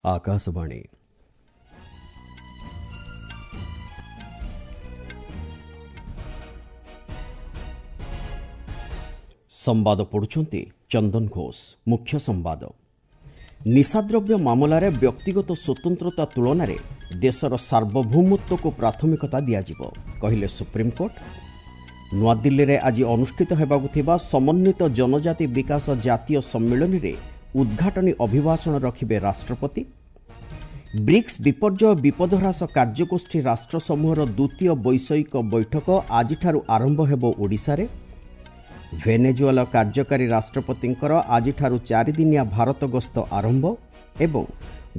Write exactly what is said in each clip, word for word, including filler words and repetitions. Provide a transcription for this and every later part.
ଆକାଶବାଣୀ। ସମ୍ବାଦ ପଢୁଛନ୍ତି ଚନ୍ଦନ ଘୋଷ। ମୁଖ୍ୟ ସମ୍ବାଦ। ନିଶାଦ୍ରବ୍ୟ ମାମଲାରେ ବ୍ୟକ୍ତିଗତ ସ୍ୱତନ୍ତ୍ରତା ତୁଳନାରେ ଦେଶର ସାର୍ବଭୌମତ୍ୱକୁ ପ୍ରାଥମିକତା ଦିଆଯିବ, କହିଲେ ସୁପ୍ରିମକୋର୍ଟ। ନୂଆଦିଲ୍ଲୀରେ ଆଜି ଅନୁଷ୍ଠିତ ହେବାକୁ ଥିବା ସମନ୍ୱିତ ଜନଜାତି ବିକାଶ ଜାତୀୟ ସମ୍ମିଳନୀରେ ଉଦ୍ଘାଟନୀ ଅଭିଭାଷଣ ରଖିବେ ରାଷ୍ଟ୍ରପତି। ବ୍ରିକ୍ସ ବିପର୍ଯ୍ୟୟ ବିପଦ ହ୍ରାସ କାର୍ଯ୍ୟଗୋଷ୍ଠୀ ରାଷ୍ଟ୍ରସମୂହର ଦ୍ୱିତୀୟ ବୈଷୟିକ ବୈଠକ ଆଜିଠାରୁ ଆରମ୍ଭ ହେବ ଓଡ଼ିଶାରେ। ଭେନେଜୁଏଲା କାର୍ଯ୍ୟକାରୀ ରାଷ୍ଟ୍ରପତିଙ୍କର ଆଜିଠାରୁ ଚାରିଦିନିଆ ଭାରତ ଗସ୍ତ ଆରମ୍ଭ ଏବଂ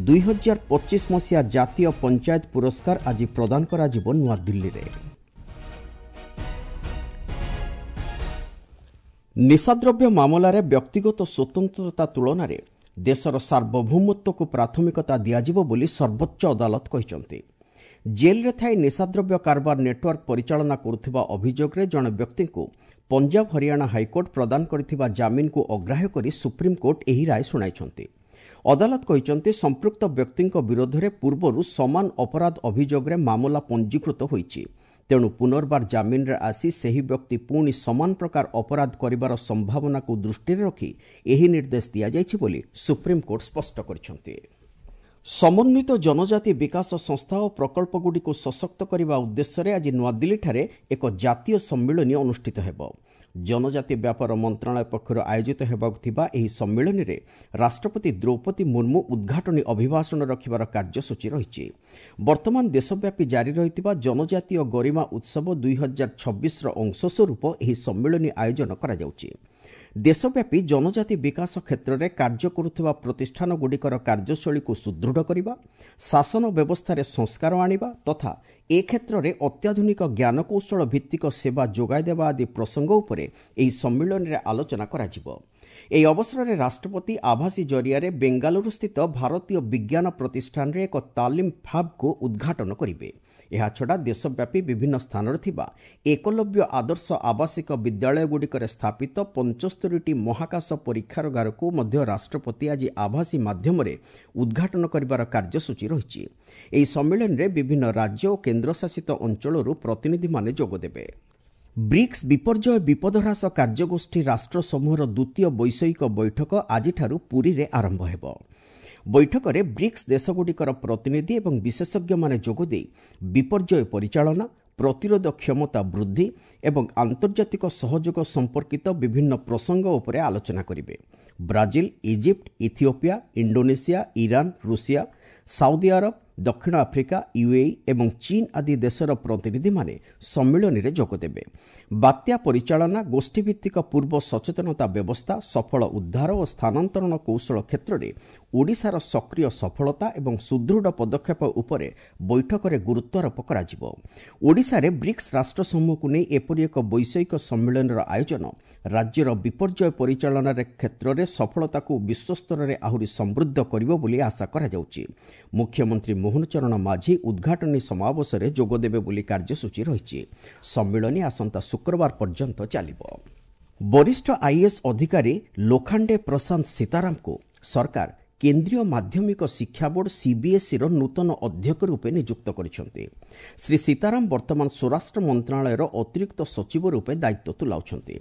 ଦୁଇହଜାର ପଚିଶ ମସିହା ଜାତୀୟ ପଞ୍ଚାୟତ ପୁରସ୍କାର ଆଜି ପ୍ରଦାନ କରାଯିବ ନୂଆଦିଲ୍ଲୀରେ। ନିଶାଦ୍ରବ୍ୟ ମାମଲାରେ ବ୍ୟକ୍ତିଗତ ସ୍ୱତନ୍ତ୍ରତା ତୁଳନାରେ ଦେଶର ସାର୍ବଭୌମତ୍ୱକୁ ପ୍ରାଥମିକତା ଦିଆଯିବ ବୋଲି ସର୍ବୋଚ୍ଚ ଅଦାଲତ କହିଛନ୍ତି। ଜେଲ୍ରେ ଥାଇ ନିଶାଦ୍ରବ୍ୟ କାରବାର ନେଟୱାର୍କ ପରିଚାଳନା କରୁଥିବା ଅଭିଯୋଗରେ ଜଣେ ବ୍ୟକ୍ତିଙ୍କୁ ପଞ୍ଜାବ ହରିୟାଣା ହାଇକୋର୍ଟ ପ୍ରଦାନ କରିଥିବା ଜାମିନକୁ ଅଗ୍ରାହ୍ୟ କରି ସୁପ୍ରିମକୋର୍ଟ ଏହି ରାୟ ଶୁଣାଇଛନ୍ତି। ଅଦାଲତ କହିଛନ୍ତି, ସମ୍ପୃକ୍ତ ବ୍ୟକ୍ତିଙ୍କ ବିରୋଧରେ ପୂର୍ବରୁ ସମାନ ଅପରାଧ ଅଭିଯୋଗରେ ମାମଲା ପଞ୍ଜୀକୃତ ହୋଇଛି। ତେଣୁ ପୁନର୍ବାର ଜାମିନରେ ଆସି ସେହି ବ୍ୟକ୍ତି ପୁଣି ସମାନ ପ୍ରକାର ଅପରାଧ କରିବାର ସମ୍ଭାବନାକୁ ଦୃଷ୍ଟିରେ ରଖି ଏହି ନିର୍ଦ୍ଦେଶ ଦିଆଯାଇଛି ବୋଲି ସୁପ୍ରିମକୋର୍ଟ ସ୍ପଷ୍ଟ କରିଛନ୍ତି। ସମନ୍ୱିତ ଜନଜାତି ବିକାଶ ସଂସ୍ଥା ଓ ପ୍ରକଳ୍ପଗୁଡ଼ିକୁ ସଶକ୍ତ କରିବା ଉଦ୍ଦେଶ୍ୟରେ ଆଜି ନୂଆଦିଲ୍ଲୀଠାରେ ଏକ ଜାତୀୟ ସମ୍ମିଳନୀ ଅନୁଷ୍ଠିତ ହେବ। ଜନଜାତି ବ୍ୟାପାର ମନ୍ତ୍ରଣାଳୟ ପକ୍ଷରୁ ଆୟୋଜିତ ହେବାକୁ ଥିବା ଏହି ସମ୍ମିଳନୀରେ ରାଷ୍ଟ୍ରପତି ଦ୍ରୌପଦୀ ମୁର୍ମୁ ଉଦ୍ଘାଟନୀ ଅଭିଭାଷଣ ରଖିବାର କାର୍ଯ୍ୟସୂଚୀ ରହିଛି। ବର୍ତ୍ତମାନ ଦେଶବ୍ୟାପୀ ଜାରି ରହିଥିବା ଜନଜାତୀୟ ଗରିମା ଉତ୍ସବ ଦୁଇହଜାର ଛବିଶର ଅଂଶସ୍ୱରୂପ ଏହି ସମ୍ମିଳନୀ ଆୟୋଜନ କରାଯାଉଛି। ଦେଶବ୍ୟାପୀ ଜନଜାତି ବିକାଶ କ୍ଷେତ୍ରରେ କାର୍ଯ୍ୟ କରୁଥିବା ପ୍ରତିଷ୍ଠାନଗୁଡ଼ିକର କାର୍ଯ୍ୟଶୈଳୀକୁ ସୁଦୃଢ଼ କରିବା, ଶାସନ ବ୍ୟବସ୍ଥାରେ ସଂସ୍କାର ଆଣିବା ତଥା ଏ କ୍ଷେତ୍ରରେ ଅତ୍ୟାଧୁନିକ ଜ୍ଞାନକୌଶଳ ଭିତ୍ତିକ ସେବା ଯୋଗାଇଦେବା ଆଦି ପ୍ରସଙ୍ଗ ଉପରେ ଏହି ସମ୍ମିଳନୀରେ ଆଲୋଚନା କରାଯିବ। ଏହି ଅବସରରେ ରାଷ୍ଟ୍ରପତି ଆଭାସୀ ଜରିଆରେ ବେଙ୍ଗାଲୁରୁସ୍ଥିତ ଭାରତୀୟ ବିଜ୍ଞାନ ପ୍ରତିଷ୍ଠାନରେ ଏକ ତାଲିମ ଫାବ୍କୁ ଉଦ୍ଘାଟନ କରିବେ। ଏହାଛଡ଼ା ଦେଶବ୍ୟାପୀ ବିଭିନ୍ନ ସ୍ଥାନରେ ଥିବା ଏକଲବ୍ୟ ଆଦର୍ଶ ଆବାସିକ ବିଦ୍ୟାଳୟଗୁଡ଼ିକରେ ସ୍ଥାପିତ ପଞ୍ଚସ୍ତରୀଟି ମହାକାଶ ପରୀକ୍ଷାଗାରକୁ ମଧ୍ୟ ରାଷ୍ଟ୍ରପତି ଆଜି ଆଭାସୀ ମାଧ୍ୟମରେ ଉଦ୍ଘାଟନ କରିବାର କାର୍ଯ୍ୟସୂଚୀ ରହିଛି। ଏହି ସମ୍ମିଳନୀରେ ବିଭିନ୍ନ ରାଜ୍ୟ ଓ କେନ୍ଦ୍ରଶାସିତ ଅଞ୍ଚଳରୁ ପ୍ରତିନିଧିମାନେ ଯୋଗଦେବେ। ବ୍ରିକ୍ସ ବିପର୍ଯ୍ୟୟ ବିପଦ ହ୍ରାସ କାର୍ଯ୍ୟଗୋଷ୍ଠୀ ରାଷ୍ଟ୍ରସମୂହର ଦ୍ୱିତୀୟ ବୈଷୟିକ ବୈଠକ ଆଜିଠାରୁ ପୁରୀରେ ଆରମ୍ଭ ହେବ। ବୈଠକରେ ବ୍ରିକ୍ସ ଦେଶଗୁଡ଼ିକର ପ୍ରତିନିଧି ଏବଂ ବିଶେଷଜ୍ଞମାନେ ଯୋଗଦେଇ ବିପର୍ଯ୍ୟୟ ପରିଚାଳନା, ପ୍ରତିରୋଧ କ୍ଷମତା ବୃଦ୍ଧି ଏବଂ ଆନ୍ତର୍ଜାତିକ ସହଯୋଗ ସମ୍ପର୍କିତ ବିଭିନ୍ନ ପ୍ରସଙ୍ଗ ଉପରେ ଆଲୋଚନା କରିବେ। Brazil, Egypt, Ethiopia, Indonesia, Iran, Russia, Saudi Arab, ଦକ୍ଷିଣ ଆଫ୍ରିକା, ୟୁଏଇ ଏବଂ ଚୀନ୍ ଆଦି ଦେଶର ପ୍ରତିନିଧିମାନେ ସମ୍ମିଳନୀରେ ଯୋଗଦେବେ। ବାତ୍ୟା ପରିଚାଳନା, ଗୋଷ୍ଠୀଭିତ୍ତିକ ପୂର୍ବ ସଚେତନତା ବ୍ୟବସ୍ଥା, ସଫଳ ଉଦ୍ଧାର ଓ ସ୍ଥାନାନ୍ତରଣ କୌଶଳ କ୍ଷେତ୍ରରେ ଓଡ଼ିଶାର ସକ୍ରିୟ ସଫଳତା ଏବଂ ସୁଦୃଢ଼ ପଦକ୍ଷେପ ଉପରେ ବୈଠକରେ ଗୁରୁତ୍ୱାରୋପ କରାଯିବ। ଓଡ଼ିଶାରେ ବ୍ରିକ୍ସ ରାଷ୍ଟ୍ରସମୂହକୁ ନେଇ ଏପରି ଏକ ବୈଷୟିକ ସମ୍ମିଳନୀର ଆୟୋଜନ ରାଜ୍ୟର ବିପର୍ଯ୍ୟୟ ପରିଚାଳନାରେ କ୍ଷେତ୍ରରେ ସଫଳତାକୁ ବିଶ୍ୱସ୍ତରରେ ଆହୁରି ସମୃଦ୍ଧ କରିବ ବୋଲି ଆଶା କରାଯାଉଛି। ମୁଖ୍ୟମନ୍ତ୍ରୀ ମୋହନ ଚରଣ ମାଝୀ ଉଦ୍ଘାଟନୀ ସମାବେଶରେ ଯୋଗଦେବେ ବୋଲି କାର୍ଯ୍ୟସୂଚୀ ରହିଛି। ସମ୍ମିଳନୀ ଆସନ୍ତା ଶୁକ୍ରବାର ପର୍ଯ୍ୟନ୍ତ ଚାଲିବ। ବରିଷ୍ଠ ଆଇଏଏସ୍ ଅଧିକାରୀ ଲୋଖାଣ୍ଡେ ପ୍ରଶାନ୍ତ ସୀତାରାମଙ୍କୁ ସରକାର କେନ୍ଦ୍ରୀୟ ମାଧ୍ୟମିକ ଶିକ୍ଷା ବୋର୍ଡ ସିବିଏସ୍ଇର ନୂତନ ଅଧ୍ୟକ୍ଷ ରୂପେ ନିଯୁକ୍ତ କରିଛନ୍ତି। ଶ୍ରୀ ସୀତାରାମ ବର୍ତ୍ତମାନ ସ୍ୱରାଷ୍ଟ୍ର ମନ୍ତ୍ରଣାଳୟର ଅତିରିକ୍ତ ସଚିବ ରୂପେ ଦାୟିତ୍ୱ ତୁଲାଉଛନ୍ତି।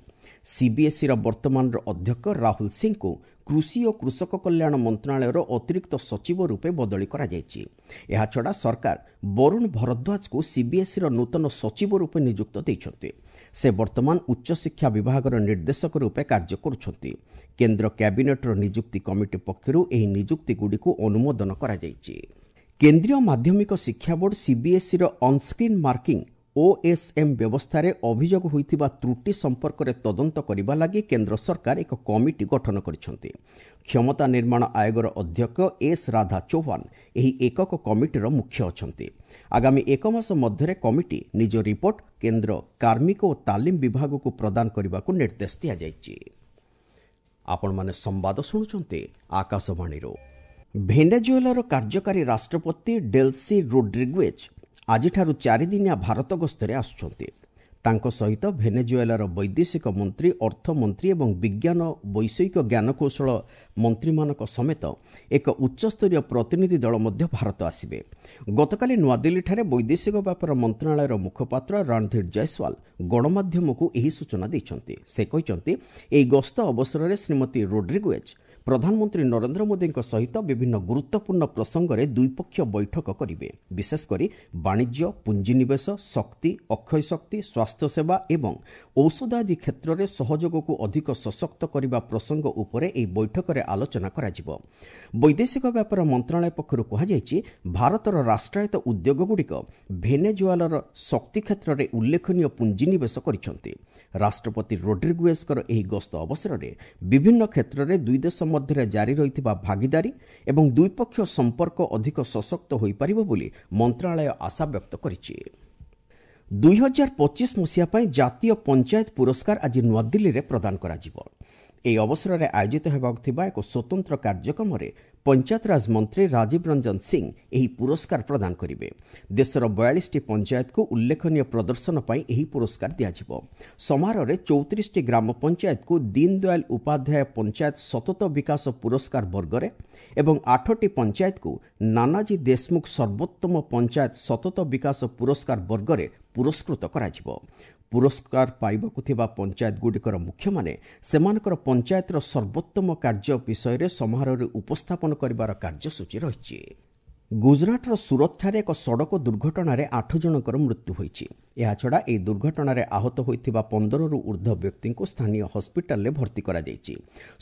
ସିବିଏସ୍ଇର ବର୍ତ୍ତମାନର ଅଧ୍ୟକ୍ଷ ରାହୁଲ ସିଂଙ୍କୁ କୃଷି ଓ କୃଷକ କଲ୍ୟାଣ ମନ୍ତ୍ରଣାଳୟର ଅତିରିକ୍ତ ସଚିବ ରୂପେ ବଦଳି କରାଯାଇଛି। ଏହାଛଡ଼ା ସରକାର ବରୁଣ ଭରଦ୍ୱାଜଙ୍କୁ ସିବିଏସ୍ଇର ନୂତନ ସଚିବ ରୂପେ ନିଯୁକ୍ତ ଦେଇଛନ୍ତି। ସେ ବର୍ତ୍ତମାନ ଉଚ୍ଚଶିକ୍ଷା ବିଭାଗର ନିର୍ଦ୍ଦେଶକ ରୂପେ କାର୍ଯ୍ୟ କରୁଛନ୍ତି। କେନ୍ଦ୍ର କ୍ୟାବିନେଟ୍ର ନିଯୁକ୍ତି କମିଟି ପକ୍ଷରୁ ଏହି ନିଯୁକ୍ତିଗୁଡ଼ିକୁ ଅନୁମୋଦନ କରାଯାଇଛି। କେନ୍ଦ୍ରୀୟ ମାଧ୍ୟମିକ ଶିକ୍ଷା ବୋର୍ଡ ସିବିଏସ୍ଇର ଅନସ୍କ୍ରିନ୍ ମାର୍କିଂ ଓଏସ୍ଏମ୍ ବ୍ୟବସ୍ଥାରେ ଅଭିଯୋଗ ହୋଇଥିବା ତ୍ରୁଟି ସମ୍ପର୍କରେ ତଦନ୍ତ କରିବା ଲାଗି କେନ୍ଦ୍ର ସରକାର ଏକ କମିଟି ଗଠନ କରିଛନ୍ତି। କ୍ଷମତା ନିର୍ମାଣ ଆୟୋଗର ଅଧ୍ୟକ୍ଷ ଏସ୍ ରାଧା ଚୌହାନ ଏହି ଏକକ କମିଟିର ମୁଖ୍ୟ ଅଛନ୍ତି। ଆଗାମୀ ଏକ ମାସ ମଧ୍ୟରେ କମିଟି ନିଜ ରିପୋର୍ଟ କେନ୍ଦ୍ର କାର୍ମିକ ଓ ତାଲିମ ବିଭାଗକୁ ପ୍ରଦାନ କରିବାକୁ ନିର୍ଦ୍ଦେଶ ଦିଆଯାଇଛି। ଆପଣମାନେ ସମ୍ବାଦ ଶୁଣୁଛନ୍ତି ଆକାଶବାଣୀରୁ। ଭେନେଜୁଏଲାର କାର୍ଯ୍ୟକାରୀ ରାଷ୍ଟ୍ରପତି ଡେଲ୍ସି ରୋଡ୍ରିଗୁଏଜ୍ ଆଜିଠାରୁ ଚାରିଦିନିଆ ଭାରତ ଗସ୍ତରେ ଆସୁଛନ୍ତି। ତାଙ୍କ ସହିତ ଭେନେଜୁଏଲାର ବୈଦେଶିକ ମନ୍ତ୍ରୀ, ଅର୍ଥମନ୍ତ୍ରୀ ଏବଂ ବିଜ୍ଞାନ ବୈଷୟିକ ଜ୍ଞାନକୌଶଳ ମନ୍ତ୍ରୀମାନଙ୍କ ସମେତ ଏକ ଉଚ୍ଚସ୍ତରୀୟ ପ୍ରତିନିଧି ଦଳ ମଧ୍ୟ ଭାରତ ଆସିବେ। ଗତକାଲି ନୂଆଦିଲ୍ଲୀଠାରେ ବୈଦେଶିକ ବ୍ୟାପାର ମନ୍ତ୍ରଣାଳୟର ମୁଖପାତ୍ର ରଣଧୀର ଜୟସ୍ୱାଲ ଗଣମାଧ୍ୟମକୁ ଏହି ସୂଚନା ଦେଇଛନ୍ତି। ସେ କହିଛନ୍ତି, ଏହି ଗସ୍ତ ଅବସରରେ ଶ୍ରୀମତୀ ରୋଡ୍ରିଗୁଏଜ୍ ପ୍ରଧାନମନ୍ତ୍ରୀ ନରେନ୍ଦ୍ର ମୋଦିଙ୍କ ସହିତ ବିଭିନ୍ନ ଗୁରୁତ୍ୱପୂର୍ଣ୍ଣ ପ୍ରସଙ୍ଗରେ ଦ୍ୱିପକ୍ଷୀୟ ବୈଠକ କରିବେ। ବିଶେଷକରି ବାଣିଜ୍ୟ, ପୁଞ୍ଜିନିବେଶ, ଶକ୍ତି, ଅକ୍ଷୟ ଶକ୍ତି, ସ୍ୱାସ୍ଥ୍ୟସେବା ଏବଂ ଔଷଧ ଆଦି କ୍ଷେତ୍ରରେ ସହଯୋଗକୁ ଅଧିକ ସଶକ୍ତ କରିବା ପ୍ରସଙ୍ଗ ଉପରେ ଏହି ବୈଠକରେ ଆଲୋଚନା କରାଯିବ। ବୈଦେଶିକ ବ୍ୟାପାର ମନ୍ତ୍ରଣାଳୟ ପକ୍ଷରୁ କୁହାଯାଇଛି, ଭାରତର ରାଷ୍ଟ୍ରାୟତ୍ତ ଉଦ୍ୟୋଗଗୁଡ଼ିକ ଭେନେଜୁଏଲାର ଶକ୍ତି କ୍ଷେତ୍ରରେ ଉଲ୍ଲେଖନୀୟ ପୁଞ୍ଜିନିବେଶ କରିଛନ୍ତି। ରାଷ୍ଟ୍ରପତି ରୋଡ୍ରିଗୁଏଜ୍ଙ୍କର ଏହି ଗସ୍ତ ଅବସରରେ ବିଭିନ୍ନ କ୍ଷେତ୍ରରେ ଦୁଇ ଦେଶ ମଧ୍ୟରେ ଜାରି ରହିଥିବା ଭାଗିଦାରୀ ଏବଂ ଦ୍ୱିପକ୍ଷୀୟ ସମ୍ପର୍କ ଅଧିକ ସଶକ୍ତ ହୋଇପାରିବ ବୋଲି ମନ୍ତ୍ରଣାଳୟ ଆଶା ବ୍ୟକ୍ତ କରିଛି। ଦୁଇ ହଜାର ପଚିଶ ମସିହା ପାଇଁ ଜାତୀୟ ପଞ୍ଚାୟତ ପୁରସ୍କାର ଆଜି ନୂଆଦିଲ୍ଲୀରେ ପ୍ରଦାନ କରାଯିବ। ଏହି ଅବସରରେ ଆୟୋଜିତ ହେବାକୁ ଥିବା ଏକ ସ୍ୱତନ୍ତ୍ର କାର୍ଯ୍ୟକ୍ରମରେ ପଞ୍ଚାୟତରାଜ ମନ୍ତ୍ରୀ ରାଜୀବ ରଞ୍ଜନ ସିଂ ଏହି ପୁରସ୍କାର ପ୍ରଦାନ କରିବେ। ଦେଶର ବୟାଳିଶଟି ପଞ୍ଚାୟତକୁ ଉଲ୍ଲେଖନୀୟ ପ୍ରଦର୍ଶନ ପାଇଁ ଏହି ପୁରସ୍କାର ଦିଆଯିବ। ସମାରୋହରେ ଚଉତିରିଶଟି ଗ୍ରାମ ପଞ୍ଚାୟତକୁ ଦୀନଦୟାଲ ଉପାଧ୍ୟାୟ ପଞ୍ଚାୟତ ସତତ ବିକାଶ ପୁରସ୍କାର ବର୍ଗରେ ଏବଂ ଆଠଟି ପଞ୍ଚାୟତକୁ ନାନାଜୀ ଦେଶମୁଖ ସର୍ବୋତ୍ତମ ପଞ୍ଚାୟତ ସତତ ବିକାଶ ପୁରସ୍କାର ବର୍ଗରେ ପୁରସ୍କୃତ କରାଯିବ। ପୁରସ୍କାର ପାଇବାକୁ ଥିବା ପଞ୍ଚାୟତଗୁଡ଼ିକର ମୁଖ୍ୟମାନେ ସେମାନଙ୍କର ପଞ୍ଚାୟତର ସର୍ବୋତ୍ତମ କାର୍ଯ୍ୟ ବିଷୟରେ ସମାରୋହରେ ଉପସ୍ଥାପନ କରିବାର କାର୍ଯ୍ୟସୂଚୀ ରହିଛି। ଗୁଜରାଟର ସୁରତଠାରେ ଏକ ସଡ଼କ ଦୁର୍ଘଟଣାରେ ଆଠ ଜଣଙ୍କର ମୃତ୍ୟୁ ହୋଇଛି। ଏହାଛଡ଼ା ଏହି ଦୁର୍ଘଟଣାରେ ଆହତ ହୋଇଥିବା ପନ୍ଦରରୁ ଉର୍ଦ୍ଧ୍ୱ ବ୍ୟକ୍ତିଙ୍କୁ ସ୍ଥାନୀୟ ହସ୍ପିଟାଲରେ ଭର୍ତ୍ତି କରାଯାଇଛି।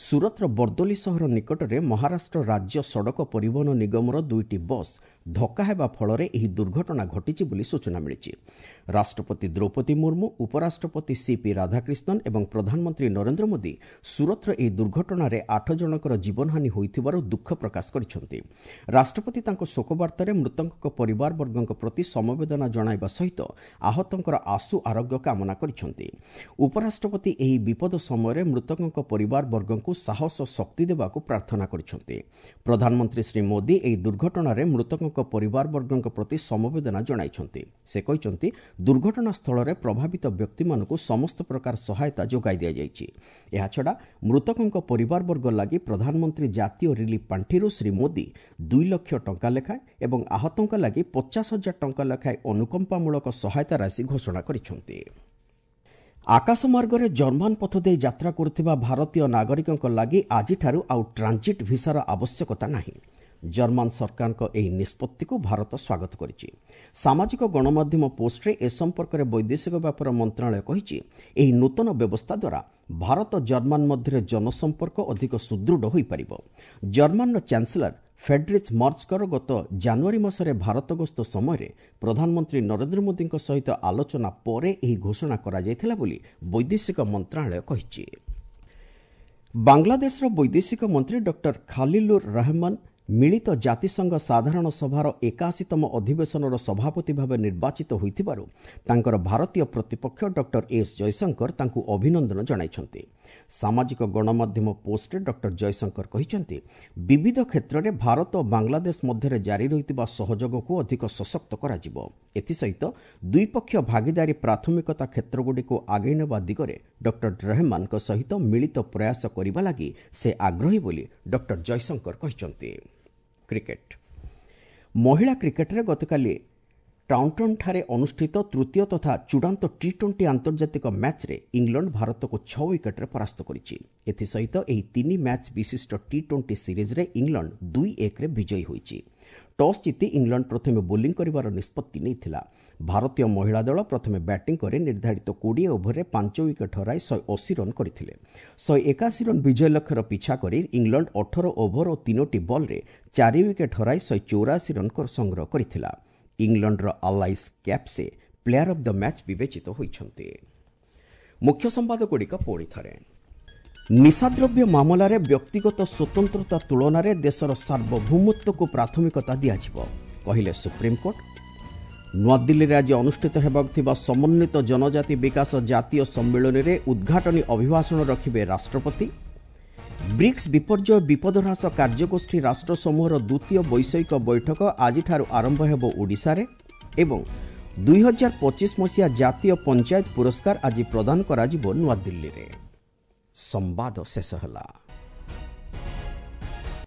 ସୁରତର ବର୍ଦୋଲି ସହର ନିକଟରେ ମହାରାଷ୍ଟ୍ର ରାଜ୍ୟ ସଡ଼କ ପରିବହନ ନିଗମର ଦୁଇଟି ବସ୍ ଧକ୍କା ହେବା ଫଳରେ ଏହି ଦୁର୍ଘଟଣା ଘଟିଛି ବୋଲି ସୂଚନା ମିଳିଛି। ରାଷ୍ଟ୍ରପତି ଦ୍ରୌପଦୀ ମୁର୍ମୁ, ଉପରାଷ୍ଟ୍ରପତି ସିପି ରାଧାକ୍ରିଷ୍ଣନ ଏବଂ ପ୍ରଧାନମନ୍ତ୍ରୀ ନରେନ୍ଦ୍ର ମୋଦି ସୁରତର ଏହି ଦୁର୍ଘଟଣାରେ ଆଠ ଜଣଙ୍କର ଜୀବନହାନି ହୋଇଥିବାରୁ ଦୁଃଖ ପ୍ରକାଶ କରିଛନ୍ତି। ରାଷ୍ଟ୍ରପତି ତାଙ୍କ ଶୋକବାର୍ତ୍ତାରେ ମୃତକଙ୍କ ପରିବାରବର୍ଗଙ୍କ ପ୍ରତି ସମବେଦନା ଜଣାଇବା ସହିତ ଆହତଙ୍କର ଆଶୁ ଆରୋଗ୍ୟ କାମନା କରିଛନ୍ତି। ଉପରାଷ୍ଟ୍ରପତି ଏହି ବିପଦ ସମୟରେ ମୃତକଙ୍କ ପରିବାରବର୍ଗଙ୍କୁ ସାହସ ଓ ଶକ୍ତି ଦେବାକୁ ପ୍ରାର୍ଥନା କରିଛନ୍ତି। ପ୍ରଧାନମନ୍ତ୍ରୀ ଶ୍ରୀ ମୋଦି ଏହି ଦୁର୍ଘଟଣାରେ ମୃତକଙ୍କ ପରିବାରବର୍ଗଙ୍କ ପ୍ରତି ସମବେଦନା ଜଣାଇଛନ୍ତି। ସେ କହିଛନ୍ତି, ଦୁର୍ଘଟଣାସ୍ଥଳରେ ପ୍ରଭାବିତ ବ୍ୟକ୍ତିମାନଙ୍କୁ ସମସ୍ତ ପ୍ରକାର ସହାୟତା ଯୋଗାଇ ଦିଆଯାଇଛି। ଏହାଛଡ଼ା ମୃତକଙ୍କ ପରିବାରବର୍ଗ ଲାଗି ପ୍ରଧାନମନ୍ତ୍ରୀ ଜାତୀୟ ରିଲିଫ୍ ପାଣ୍ଠିରୁ ଶ୍ରୀ ମୋଦି ଦୁଇ ଲକ୍ଷ ଟଙ୍କା ଲେଖାଏଁ ଏବଂ ଆହତଙ୍କ ଲାଗି ପଚାଶ ହଜାର ଟଙ୍କା ଲେଖାଏଁ ଅନୁକମ୍ପାମୂଳକ ସହାୟତା ରାଶି ଘୋଷଣା କରିଛନ୍ତି। ଆକାଶମାର୍ଗରେ ଜର୍ମାନ ପଥ ଦେଇ ଯାତ୍ରା କରୁଥିବା ଭାରତୀୟ ନାଗରିକଙ୍କ ଲାଗି ଆଜିଠାରୁ ଆଉ ଟ୍ରାଞ୍ଜିଟ୍ ଭିସାର ଆବଶ୍ୟକତା ନାହିଁ। ଜର୍ମାନ ସରକାରଙ୍କ ଏହି ନିଷ୍ପତ୍ତିକୁ ଭାରତ ସ୍ୱାଗତ କରିଛି। ସାମାଜିକ ଗଣମାଧ୍ୟମ ପୋଷ୍ଟରେ ଏ ସମ୍ପର୍କରେ ବୈଦେଶିକ ବ୍ୟାପାର ମନ୍ତ୍ରଣାଳୟ କହିଛି, ଏହି ନୂତନ ବ୍ୟବସ୍ଥା ଦ୍ୱାରା ଭାରତ ଜର୍ମାନ ମଧ୍ୟରେ ଜନସମ୍ପର୍କ ଅଧିକ ସୁଦୃଢ଼ ହୋଇପାରିବ। ଜର୍ମାନର ଚାନ୍ସେଲର ଫେଡ୍ରିଚ୍ ମର୍ଜଙ୍କର ଗତ ଜାନୁଆରୀ ମାସରେ ଭାରତ ଗସ୍ତ ସମୟରେ ପ୍ରଧାନମନ୍ତ୍ରୀ ନରେନ୍ଦ୍ର ମୋଦିଙ୍କ ସହିତ ଆଲୋଚନା ପରେ ଏହି ଘୋଷଣା କରାଯାଇଥିଲା ବୋଲି ବୈଦେଶିକ ମନ୍ତ୍ରଣାଳୟ କହିଛି। ବାଂଲାଦେଶର ବୈଦେଶିକ ମନ୍ତ୍ରୀ ଡକ୍ଟର ଖାଲିଲୁର ରହମାନ ମିଳିତ ଜାତିସଂଘ ସାଧାରଣ ସଭାର ଏକାଅଶୀତମ ଅଧିବେଶନର ସଭାପତି ଭାବେ ନିର୍ବାଚିତ ହୋଇଥିବାରୁ ତାଙ୍କର ଭାରତୀୟ ପ୍ରତିପକ୍ଷ ଡକ୍ଟର ଏସ୍ ଜୟଶଙ୍କର ତାଙ୍କୁ ଅଭିନନ୍ଦନ ଜଣାଇଛନ୍ତି। ସାମାଜିକ ଗଣମାଧ୍ୟମ ପୋଷ୍ଟରେ ଡକ୍ଟର ଜୟଶଙ୍କର କହିଛନ୍ତି, ବିବିଧ କ୍ଷେତ୍ରରେ ଭାରତ ଓ ବାଂଲାଦେଶ ମଧ୍ୟରେ ଜାରି ରହିଥିବା ସହଯୋଗକୁ ଅଧିକ ସଶକ୍ତ କରାଯିବ। ଏଥିସହିତ ଦ୍ୱିପକ୍ଷୀୟ ଭାଗିଦାରୀ ପ୍ରାଥମିକତା କ୍ଷେତ୍ରଗୁଡ଼ିକୁ ଆଗେଇ ନେବା ଦିଗରେ ଡକ୍ଟର ରହମାନଙ୍କ ସହିତ ମିଳିତ ପ୍ରୟାସ କରିବା ଲାଗି ସେ ଆଗ୍ରହୀ ବୋଲି ଡକ୍ଟର ଜୟଶଙ୍କର କହିଛନ୍ତି। କ୍ରିକେଟ ମହିଳା କ୍ରିକେଟରେ ଗତକାଲି ଟାଉଣ୍ଟନ୍ଠାରେ ଅନୁଷ୍ଠିତ ତୃତୀୟ ତଥା ଚୂଡ଼ାନ୍ତ ଟି ଟ୍ୱେଣ୍ଟି ଆନ୍ତର୍ଜାତିକ ମ୍ୟାଚ୍ରେ ଇଂଲଣ୍ଡ ଭାରତକୁ ଛଅ ୱିକେଟ୍ରେ ପରାସ୍ତ କରିଛି। ଏଥିସହିତ ଏହି ତିନି ମ୍ୟାଚ୍ ବିଶିଷ୍ଟ ଟି ଟ୍ୱେଣ୍ଟି ସିରିଜ୍ରେ ଇଂଲଣ୍ଡ ଦୁଇ ଏକରେ ବିଜୟୀ ହୋଇଛି। ଟସ୍ ଜିତି ଇଂଲଣ୍ଡ ପ୍ରଥମେ ବୋଲିଂ କରିବାର ନିଷ୍ପତ୍ତି ନେଇଥିଲା। ଭାରତୀୟ ମହିଳା ଦଳ ପ୍ରଥମେ ବ୍ୟାଟିଂ କରି ନିର୍ଦ୍ଧାରିତ କୋଡ଼ିଏ ଓଭରରେ ପାଞ୍ଚ ୱିକେଟ୍ ହରାଇ ଶହେ ଅଶୀ ରନ୍ କରିଥିଲେ। ଶହେ ଏକାଅଶୀ ରନ୍ ବିଜୟ ଲକ୍ଷ୍ୟର ପିଛା କରି ଇଂଲଣ୍ଡ ଅଠର ଓଭର ଓ ତିନୋଟି ବଲ୍ରେ ଚାରି ୱିକେଟ୍ ହରାଇ ଶହେ ଚଉରାଅଶୀ ରନ୍ ସଂଗ୍ରହ କରିଥିଲା। ଇଂଲଣ୍ଡର Alice Capsey player of the match ବିବେଚିତ ହୋଇଛନ୍ତି। ମୁଖ୍ୟ ସମ୍ବାଦଗୁଡ଼ିକ ପୁଣି ଥରେ। ନିଶାଦ୍ରବ୍ୟ ମାମଲାରେ ବ୍ୟକ୍ତିଗତ ସ୍ୱତନ୍ତ୍ରତା ତୁଳନାରେ ଦେଶର ସାର୍ବଭୌମତ୍ୱକୁ ପ୍ରାଥମିକତା ଦିଆଯିବ, କହିଲେ ସୁପ୍ରିମକୋର୍ଟ। ନୂଆଦିଲ୍ଲୀରେ ଆଜି ଅନୁଷ୍ଠିତ ହେବାକୁ ଥିବା ସମନ୍ୱିତ ଜନଜାତି ବିକାଶ ଜାତୀୟ ସମ୍ମିଳନୀରେ ଉଦ୍ଘାଟନୀ ଅଭିଭାଷଣ ରଖିବେ ରାଷ୍ଟ୍ରପତି। ବ୍ରିକ୍ସ ବିପର୍ଯ୍ୟୟ ବିପଦ ହ୍ରାସ କାର୍ଯ୍ୟଗୋଷ୍ଠୀ ରାଷ୍ଟ୍ରସମୂହର ଦ୍ୱିତୀୟ ବୈଷୟିକ ବୈଠକ ଆଜିଠାରୁ ଆରମ୍ଭ ହେବ ଓଡ଼ିଶାରେ। ଏବଂ ଦୁଇହଜାର ପଚିଶ ମସିହା ଜାତୀୟ ପଞ୍ଚାୟତ ପୁରସ୍କାର ଆଜି ପ୍ରଦାନ କରାଯିବ ନୂଆଦିଲ୍ଲୀରେ। ସମ୍ବାଦ ଶେଷ ହେଲା।